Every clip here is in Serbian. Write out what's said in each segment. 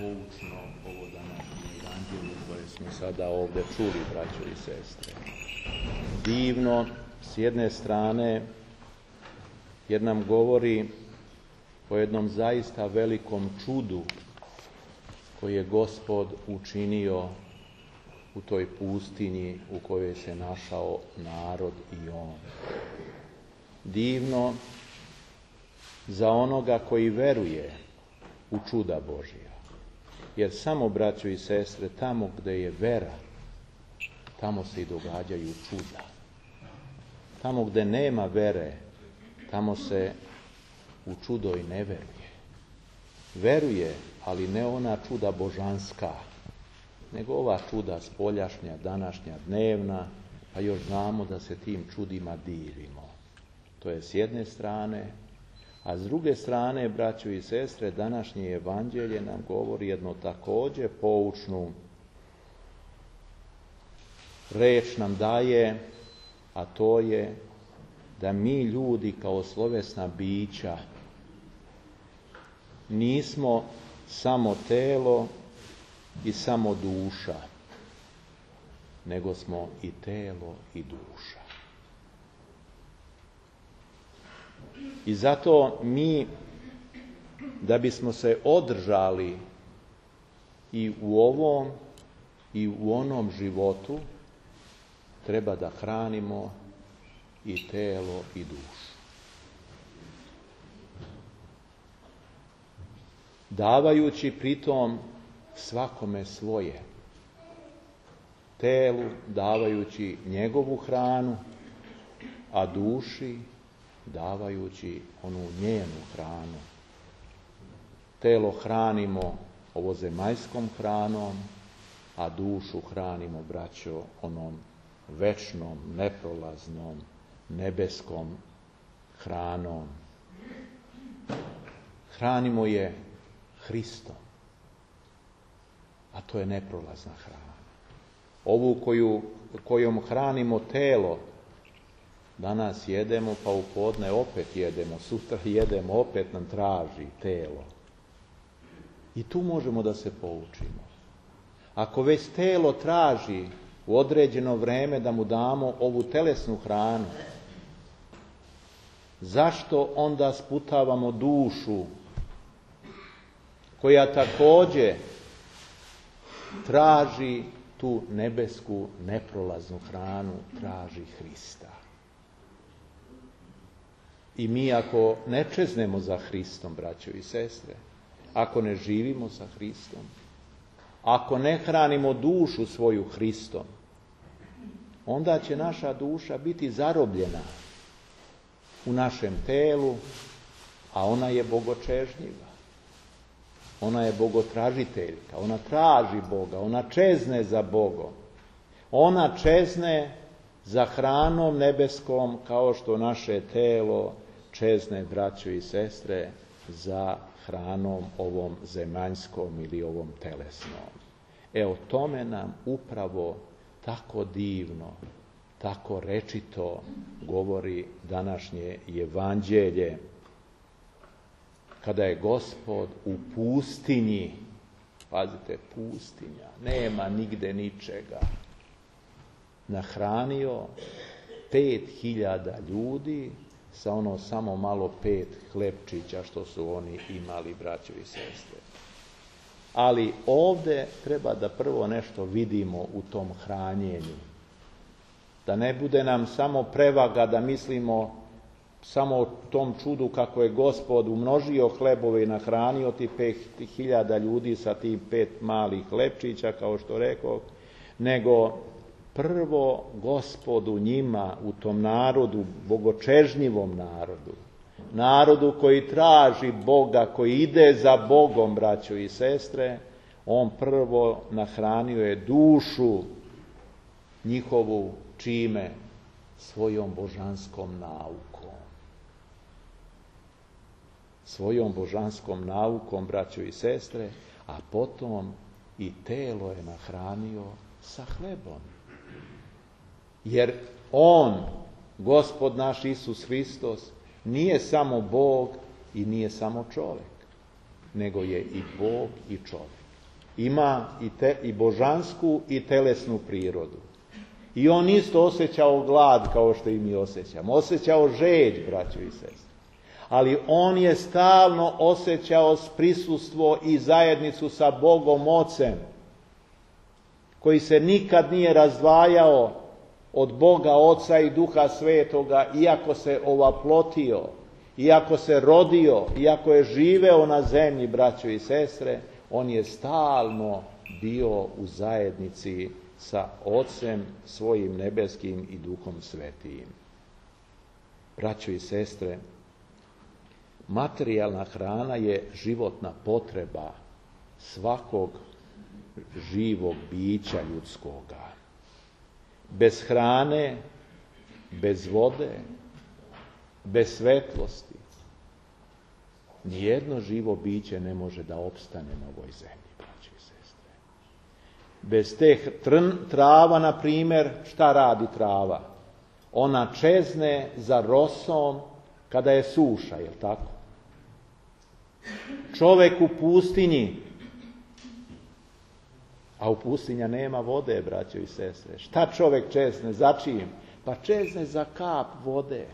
poučno ovo današnje evanđelje koje smo sada ovdje čuli, braćo i sestre. Divno, s jedne strane, jer nam govori o jednom zaista velikom čudu koje je Gospod učinio u toj pustinji u kojoj se našao narod i on. Divno za onoga koji veruje u čuda Božja. Jer samo, braćo i sestre, tamo gdje je vera, tamo se i događaju čuda. Tamo gdje nema vere, tamo se u čudo i ne veruje. Veruje, ali ne ona čuda božanska, nego ova čuda spoljašnja, današnja, dnevna, a još znamo da se tim čudima divimo. To je s jedne strane, a s druge strane, braćo i sestre, današnje evanđelje nam govori jedno također poučnu reč nam daje, a to je da mi ljudi kao slovesna bića nismo samo telo i samo duša, nego smo i telo i duša. I zato mi, da bismo se održali i u ovom i u onom životu, treba da hranimo i telo i dušu. Davajući pritom svakome svoje. Telu davajući njegovu hranu, a duši davajući onu njenu hranu. Telo hranimo ovozemaljskom hranom, a dušu hranimo, braćo, onom večnom, neprolaznom, nebeskom hranom. Hranimo je Hristom, a to je neprolazna hrana. Ovu kojom hranimo telo, danas jedemo, pa u podne opet jedemo, sutra jedemo, opet nam traži telo. I tu možemo da se poučimo. Ako već telo traži u određeno vreme da mu damo ovu telesnu hranu, zašto onda sputavamo dušu koja također traži tu nebesku neprolaznu hranu, traži Hrista. I mi ako ne čeznemo za Hristom, braćo i sestre, ako ne živimo sa Hristom, ako ne hranimo dušu svoju Hristom, onda će naša duša biti zarobljena u našem telu, a ona je bogočežnjiva. Ona je bogotražiteljka, ona traži Boga, ona čezne za Bogom. Ona čezne za hranom nebeskom kao što naše telo čezne, braćo i sestre, za hranom ovom zemaljskom ili ovom telesnom. O tome nam upravo tako divno, tako rečito govori današnje evanđelje, kada je Gospod u pustinji, pazite, pustinja, nema nigde ničega, nahranio 5.000 ljudi sa ono samo malo 5 hlebčića što su oni imali, braćo i sestre. Ali ovdje treba da prvo nešto vidimo u tom hranjenju. Da ne bude nam samo prevaga da mislimo samo o tom čudu kako je Gospod umnožio hlebove i nahranio ti 5.000 ljudi sa tih 5 malih hlebčića, kao što rekao, nego prvo Gospodu njima, u tom narodu, bogočežnjivom narodu, narodu koji traži Boga, koji ide za Bogom, braćo i sestre, on prvo nahranio je dušu njihovu čime? Svojom božanskom naukom. Svojom božanskom naukom, braćo i sestre, a potom i telo je nahranio sa hlebom. Jer on, Gospod naš Isus Hristos, nije samo Bog i nije samo čovjek, nego je i Bog i čovjek. ima i božansku i telesnu prirodu. I on isto osjećao glad kao što i mi osjećamo. Osjećao žeđ, braćo i sestre. Ali on je stalno osjećao prisustvo i zajednicu sa Bogom Ocem, koji se nikad nije razdvajao od Boga Oca i Duha Svetoga, iako se ovaplotio, iako se rodio, iako je živeo na zemlji, braćo i sestre, on je stalno bio u zajednici sa Ocem svojim nebeskim i Duhom Svetim. Braćo i sestre, materijalna hrana je životna potreba svakog živog bića ljudskoga. Bez hrane, bez vode, bez svetlosti, nijedno živo biće ne može da opstane na ovoj zemlji, braći i sestre. Bez te trava, na primjer, šta radi trava? Ona čezne za rosom kada je suša, je li tako? Čovjek u pustinji, a u pustinja nema vode, braćo i sestre. Šta čovjek čezne? Za čim? Pa čezne za kap vode.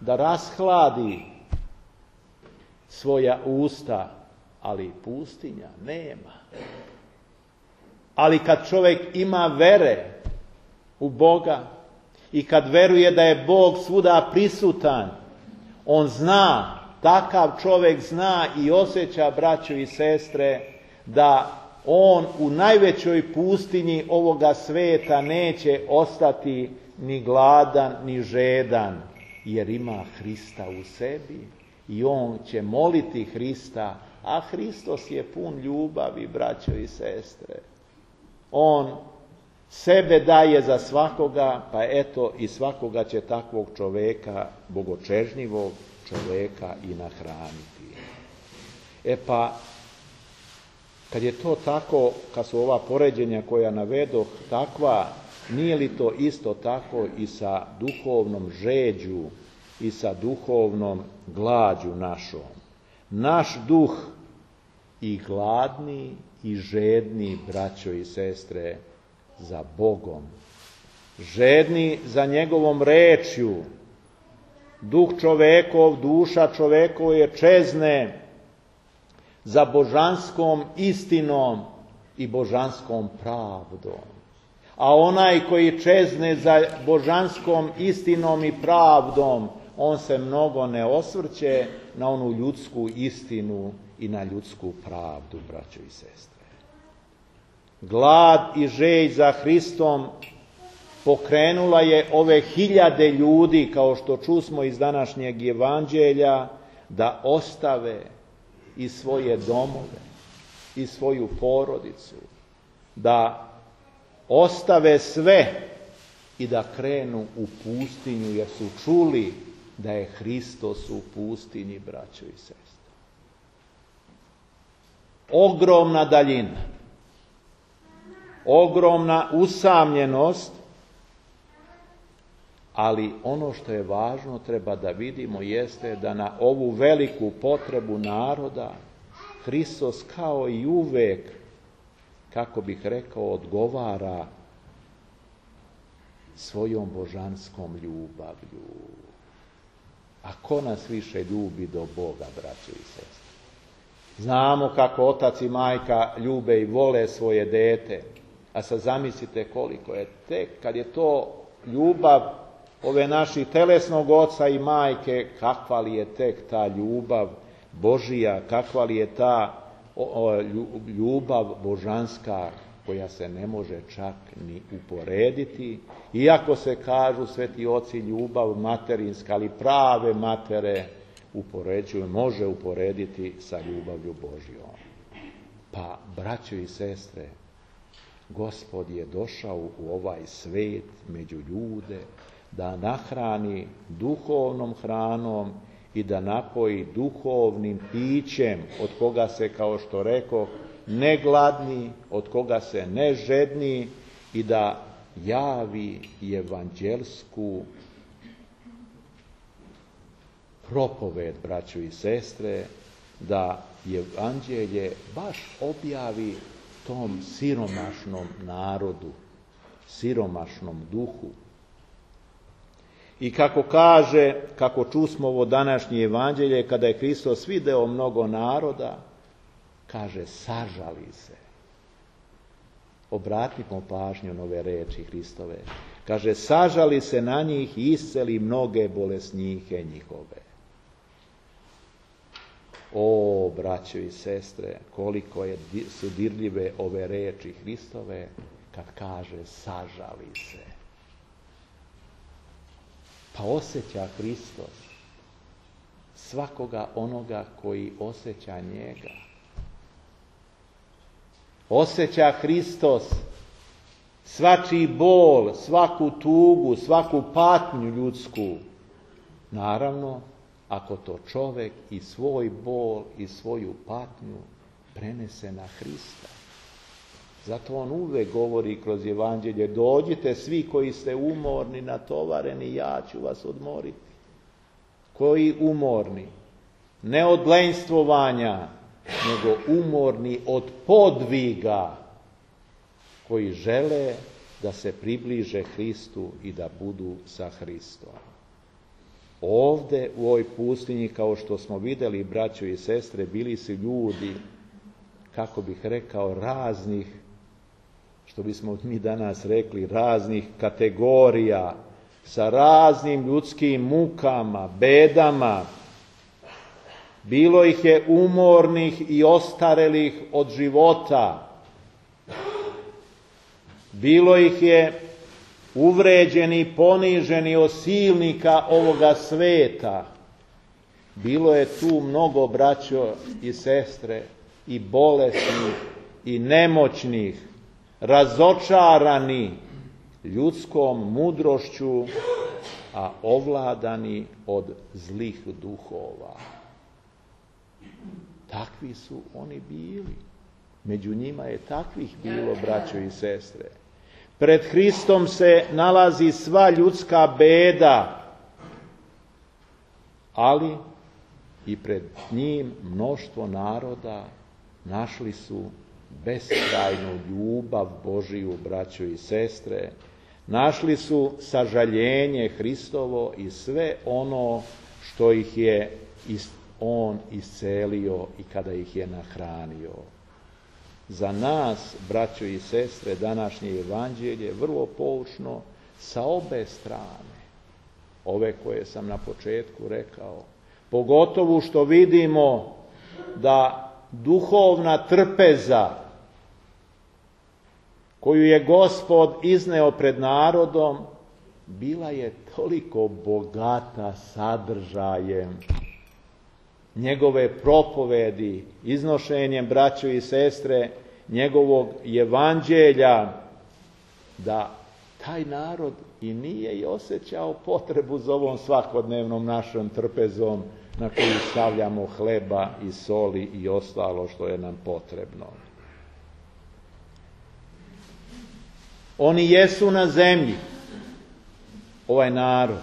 Da rashladi svoja usta, ali pustinja nema. Ali kad čovjek ima vere u Boga i kad veruje da je Bog svuda prisutan, on zna, takav čovjek zna i osjeća, braćo i sestre, da on u najvećoj pustinji ovoga sveta neće ostati ni gladan, ni žedan, jer ima Hrista u sebi i on će moliti Hrista, a Hristos je pun ljubavi, braćo i sestre. On sebe daje za svakoga, pa eto i svakoga će takvog čovjeka, bogočežnjivog čovjeka, i nahraniti. Pa, kad je to tako, kad su ova poređenja koja navedoh takva, nije li to isto tako i sa duhovnom žeđu i sa duhovnom glađu našom? Naš duh i gladni i žedni, braćo i sestre, za Bogom, žedni za njegovom rečju, duh čovekov, duša čovekov je čezne za božanskom istinom i božanskom pravdom. A onaj koji čezne za božanskom istinom i pravdom, on se mnogo ne osvrće na onu ljudsku istinu i na ljudsku pravdu, braćo i sestre. Glad i žeđ za Hristom pokrenula je ove 1000 ljudi, kao što čusmo iz današnjeg evanđelja, da ostave i svoje domove, i svoju porodicu, da ostave sve i da krenu u pustinju, jer su čuli da je Hristos u pustinji, braćo i sestre. Ogromna daljina, ogromna usamljenost, ali ono što je važno treba da vidimo jeste da na ovu veliku potrebu naroda Hristos kao i uvek, kako bih rekao, odgovara svojom božanskom ljubavlju. A ko nas više ljubi do Boga, braćo i sestre? Znamo kako otac i majka ljube i vole svoje dete, a sad zamislite koliko je tek kad je to ljubav ove naših telesnog oca i majke, kakva li je tek ta ljubav Božija, kakva li je ta ljubav božanska, koja se ne čak ni uporediti, iako se kažu sveti oci ljubav materinska, ali prave matere može uporediti sa ljubavlju Božjom. Pa, braćo i sestre, Gospod je došao u ovaj svet među ljude da nahrani duhovnom hranom i da napoji duhovnim pićem, od koga se, kao što rekoh, ne gladni, od koga se ne žedni, i da javi evanđelsku propoved, braćo i sestre, da evanđelje baš objavi tom siromašnom narodu, siromašnom duhu. I kako kaže, kako čusmo ovo današnje evanđelje, kada je Hristos video mnogo naroda, kaže, sažali se. Obratimo pažnju na ove reči Hristove. Kaže, sažali se na njih i isceli mnoge bolesnike njihove. O, braćo i sestre, koliko su dirljive ove reči Hristove kad kaže sažali se. Pa osjeća Hristos svakoga onoga koji osjeća njega. Osjeća Hristos svačiji bol, svaku tugu, svaku patnju ljudsku. Naravno, ako to čovjek i svoj bol i svoju patnju prenese na Hrista. Zato on uvek govori kroz evanđelje, dođite svi koji ste umorni, natovareni, ja ću vas odmoriti. Koji umorni? Ne od lenjstvovanja, nego umorni od podviga, koji žele da se približe Hristu i da budu sa Hristom. Ovde u ovoj pustinji, kao što smo vidjeli, braćo i sestre, bili su ljudi, kako bih rekao, raznih, što bismo mi danas rekli, raznih kategorija, sa raznim ljudskim mukama, bedama. Bilo ih je umornih i ostarelih od života. Bilo ih je uvređeni, poniženi od silnika ovoga sveta. Bilo je tu mnogo, braćo i sestre, i bolesnih, i nemoćnih, razočarani ljudskom mudrošću, a ovladani od zlih duhova. Takvi su oni bili. Među njima je takvih bilo, braćo i sestre. Pred Hristom se nalazi sva ljudska beda, ali i pred njim mnoštvo naroda našli su beskrajnu ljubav Božiju, braćo i sestre. Našli su sažaljenje Hristovo i sve ono što ih je on iscelio i kada ih je nahranio. Za nas, braćo i sestre, današnje evanđelje je vrlo poučno sa obe strane. Ove koje sam na početku rekao. Pogotovo što vidimo da duhovna trpeza koju je Gospod izneo pred narodom, bila je toliko bogata sadržajem njegove propovedi, iznošenjem, braćo i sestre, njegovog evanđelja, da taj narod i nije i osjećao potrebu za ovom svakodnevnom našom trpezom na koju stavljamo hleba i soli i ostalo što je nam potrebno. Oni jesu na zemlji, ovaj narod.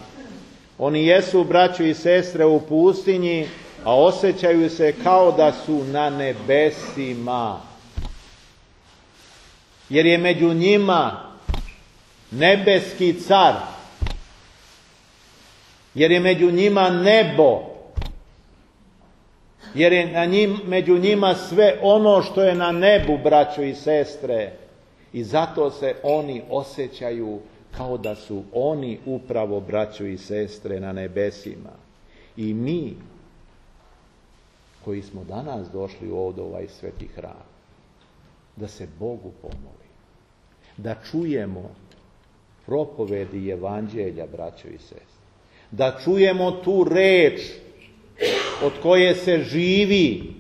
Oni jesu, braćo i sestre, u pustinji, a osjećaju se kao da su na nebesima. Jer je među njima nebeski car. Jer je među njima nebo. Jer je među njima sve ono što je na nebu, braćo i sestre. I zato se oni osjećaju kao da su oni upravo, braćo i sestre, na nebesima. I mi, koji smo danas došli ovdje u ovaj sveti hram, da se Bogu pomoli, da čujemo propovedi evanđelja, braćo i sestre, da čujemo tu reč od koje se živi,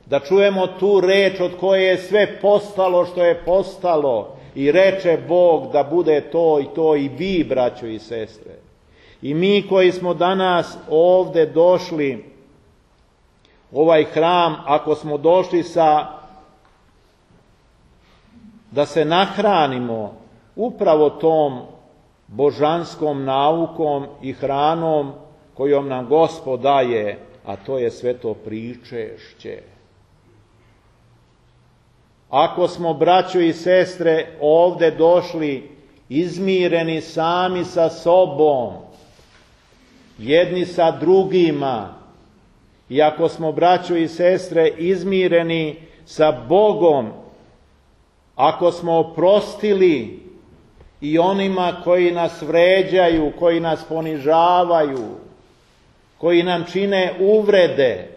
da čujemo tu reč od koje je sve postalo što je postalo i reče Bog da bude to i to i vi, braćo i sestre. I mi koji smo danas ovdje došli u ovaj hram, ako smo došli da se nahranimo upravo tom božanskom naukom i hranom kojom nam Gospod daje, a to je sveto pričešće. Ako smo, braćo i sestre, ovde došli izmireni sami sa sobom, jedni sa drugima, i ako smo, braćo i sestre, izmireni sa Bogom, ako smo oprostili i onima koji nas vređaju, koji nas ponižavaju, koji nam čine uvrede,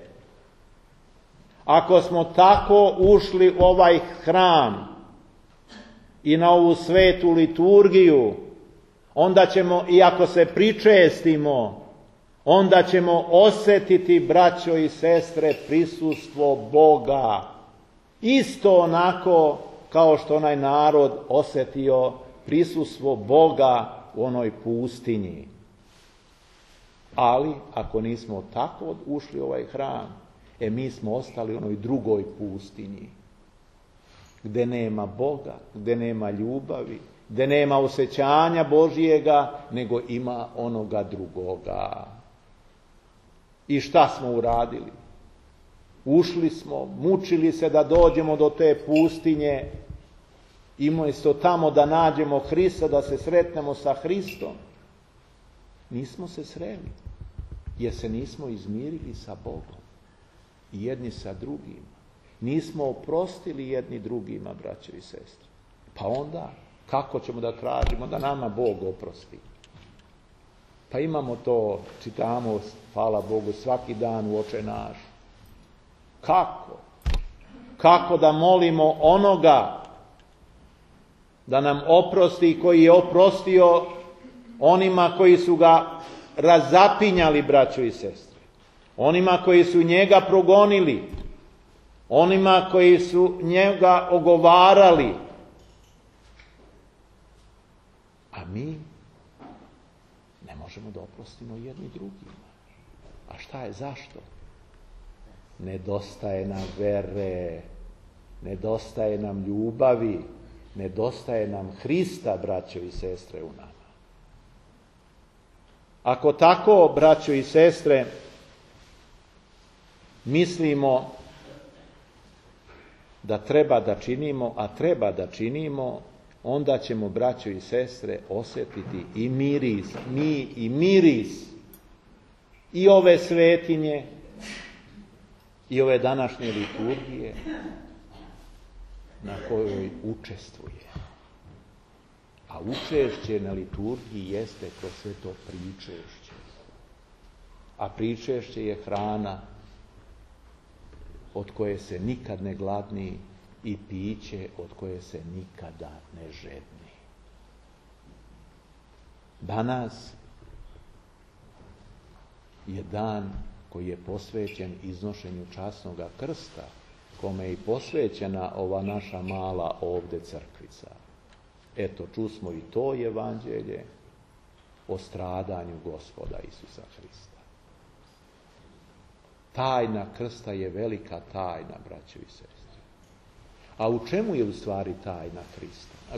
ako smo tako ušli u ovaj hram i na ovu svetu liturgiju, onda ćemo, i ako se pričestimo, onda ćemo osjetiti, braćo i sestre, prisustvo Boga. Isto onako kao što onaj narod osjetio prisustvo Boga u onoj pustinji. Ali, ako nismo tako ušli u ovaj hram, mi smo ostali u onoj drugoj pustinji, gdje nema Boga, gdje nema ljubavi, gdje nema osjećanja Božijega, nego ima onoga drugoga. I šta smo uradili? Ušli smo, mučili se da dođemo do te pustinje, i umjesto tamo da nađemo Hrista, da se sretnemo sa Hristom. Nismo se sreli, jer se nismo izmirili sa Bogom i jedni sa drugima. Nismo oprostili jedni drugima, braćo i sestre. Pa onda, kako ćemo da tražimo da nama Bog oprosti? Pa imamo to, čitamo, hvala Bogu, svaki dan u Oče naš. Kako? Kako da molimo onoga da nam oprosti, koji je oprostio onima koji su ga razapinjali, braćo i sestre, onima koji su njega progonili, onima koji su njega ogovarali. A mi ne možemo da oprostimo jedni drugima. A šta je, zašto? Nedostaje nam vere, nedostaje nam ljubavi, nedostaje nam Hrista, braćo i sestre, u nama. Ako tako, braćo i sestre, mislimo da treba da činimo, a treba da činimo, onda ćemo, braćo i sestre, osjetiti i miris, i miris i ove svetinje i ove današnje liturgije na kojoj učestvuje. A učešće na liturgiji jeste kroz sve to pričešće. A pričešće je hrana od koje se nikad ne gladni i piće od koje se nikada ne žedni. Danas je dan koji je posvećen iznošenju časnoga krsta, kome je i posvećena ova naša mala ovde crkvica. Eto, čusmo i to evanđelje o stradanju Gospoda Isusa Hrista. Tajna krsta je velika tajna, braćo i sestre. A u čemu je u stvari tajna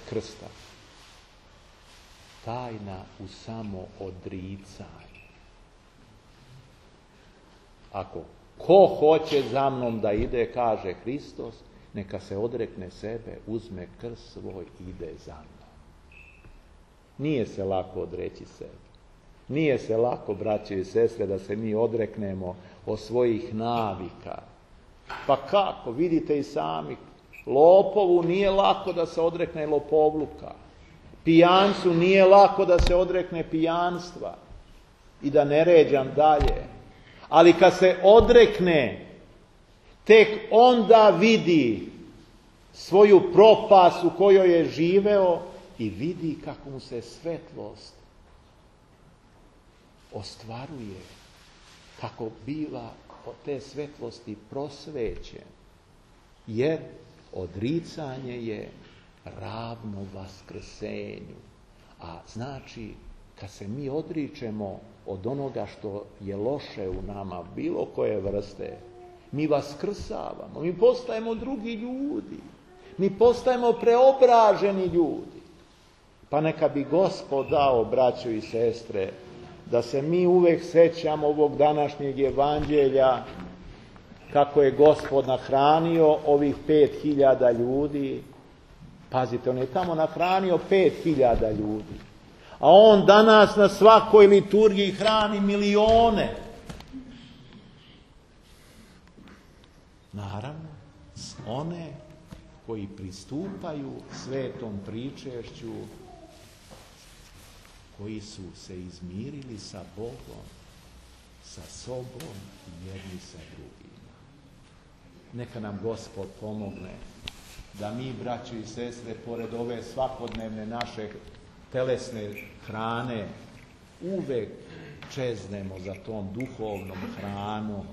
krsta? Tajna u samoodricanju. Ako ko hoće za mnom da ide, kaže Hristos, neka se odrekne sebe, uzme krst svoj i ide za mnom. Nije se lako odreći sebe. Nije se lako, braće i sestre, da se mi odreknemo od svojih navika. Pa kako? Vidite i sami, lopovu nije lako da se odrekne lopovluka. Pijancu nije lako da se odrekne pijanstva. I da ne ređam dalje. Ali kad se odrekne, tek onda vidi svoju propast u kojoj je živeo i vidi kako mu se svetlost ostvaruje, kako biva od te svetlosti prosvećen. Jer odricanje je ravno vaskrsenju. A znači, kad se mi odričemo od onoga što je loše u nama, bilo koje vrste, mi vaskrsavamo, mi postajemo drugi ljudi, mi postajemo preobraženi ljudi. Pa neka bi Gospod dao, braćo i sestre, da se mi uvek sećamo ovog današnjeg evanđelja, kako je Gospod nahranio ovih 5.000 ljudi. Pazite, on je tamo nahranio 5.000 ljudi. A on danas na svakoj liturgiji hrani milione. Naravno, one koji pristupaju svetom pričešću, koji su se izmirili sa Bogom, sa sobom i jedni sa drugima. Neka nam Gospod pomogne da mi, braćo i sestre, pored ove svakodnevne naše telesne hrane, uvek čeznemo za tom duhovnom hranom.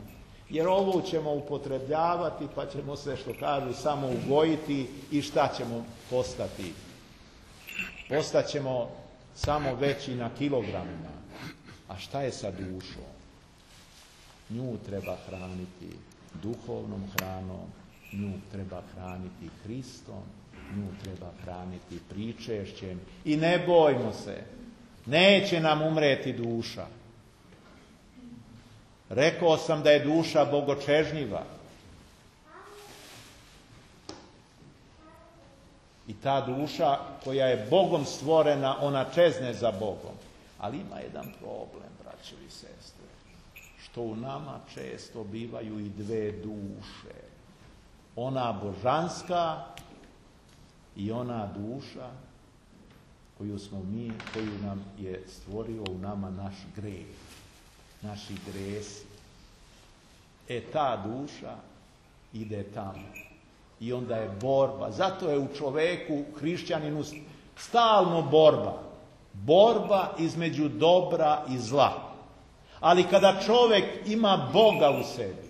Jer ovo ćemo upotrebljavati, pa ćemo se, što kažu, samo ugojiti i šta ćemo postati? Postaćemo samo veći na kilogramima. A šta je sa dušom? Nju treba hraniti duhovnom hranom, nju treba hraniti Hristom, nju treba hraniti pričešćem. I ne bojmo se, neće nam umreti duša. Rekao sam da je duša bogočežnjiva. I ta duša koja je Bogom stvorena, ona čezne za Bogom. Ali ima jedan problem, braćo i sestre, što u nama često bivaju i dve duše. Ona božanska i ona duša koju nam je stvorio u nama naš greh, naši gresi. Ta duša ide tamo. I onda je borba. Zato je u čoveku, hrišćaninu, stalno borba. Borba između dobra i zla. Ali kada čovek ima Boga u sebi,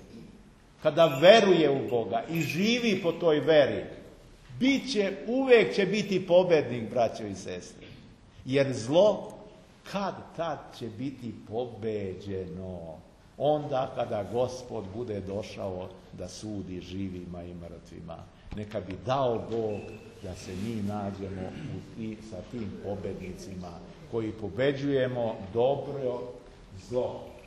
kada veruje u Boga i živi po toj veri, uvek će biti pobednik, braćo i sestre. Jer zlo tad će biti pobeđeno. Onda kada Gospod bude došao da sudi živima i mrtvima. Neka bi dao Bog da se mi nađemo sa tim pobednicima koji pobeđujemo dobro zlo.